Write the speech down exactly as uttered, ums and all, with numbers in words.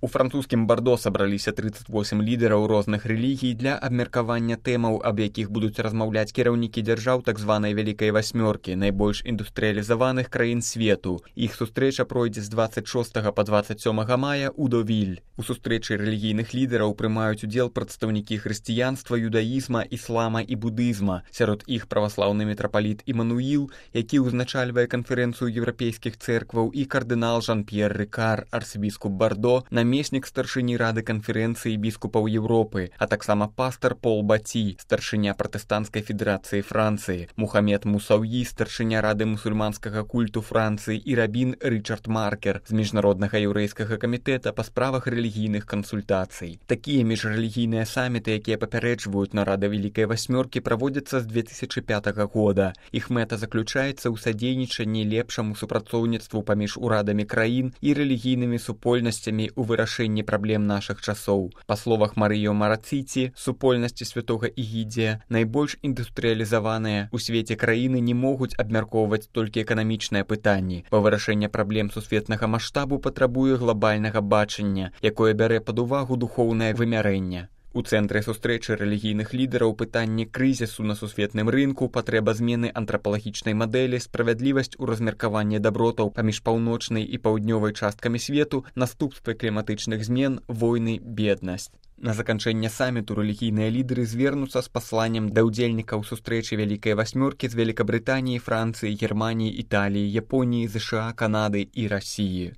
У французскім Бардо сабраліся трыццаць восем лідараў розных рэлігій для абмеркавання тэмаў, аб якіх будуць размаўляць кіраўнікі дзяржаў так званай вялікай васьмёркі, найбольш індустрыялізаваных краін свету. Іх сустрэча пройдзе з дваццаць шостага па дваццаць сёмага мая ў Довіль. У сустрэчы рэлігійных лідараў прымаюць удзел прадстаўнікі хрысціянства, юдаізма, іслама і будызма. Сярод іх праваслаўны мітрапаліт Імануіл, які ўзначальвае канферэнцыю еўрапейскіх цэркваў, і кардынал Жан-П'ер Рикар, арцыбіскуп Бардо, намеснік старшыні рады канферэнцыі біскупаў Еўропы, а таксама пастар Пол Баті, старшыня пратэстанцкай федэрацыі Францыі, Мухаммед Мусаўі, старшыня рады мусульманскага культу Францыі і рабін Рычард Маркер з міжнароднага еўрэйскага камітэта па справах рэлігійных кансультацый. Такія міжрэлігійныя саміты, якія папярэджваюць нарады Вялікай васьмёркі, праводзяцца з две тысячы пятага года. Іх мэта заключаецца ў садзейнічанні лепшаму супрацоўніцтву паміж урадамі краін і рэлігійнымі супольнасцямі ў вырашэнні праблем нашых часоў. Па словах Марыё Марацыці, супольнасці святога Ігідзія, найбольш індустрыялізаваныя ў свеце краіны не могуць абмяркоўваць толькі эканамічныя пытанні, бо вырашэнне праблем сусветнага маштабу патрабуе глобальнага бачання, якое бярэ пад увагу духоўнае вымярэнне. У цэнтры сустрэчы рэлігійных лідараў пытанні крызісу на сусветным рынку, патрэба змены антрапалагічнай мадэлі, справядлівасць у размеркаванні дабротаў паміж паўночнай і паўднёвай часткамі свету, наступствы кліматычных змен, войны, беднасць. На заканчэнне саміту рэлігійныя лідары звернуцца з пасланнем да ўдзельнікаў сустрэчы Вялікай васьмёркі з Великабрытаніі, Францыі, Германіі, Італіі, Японіі, ЗША, Канады і Расіі.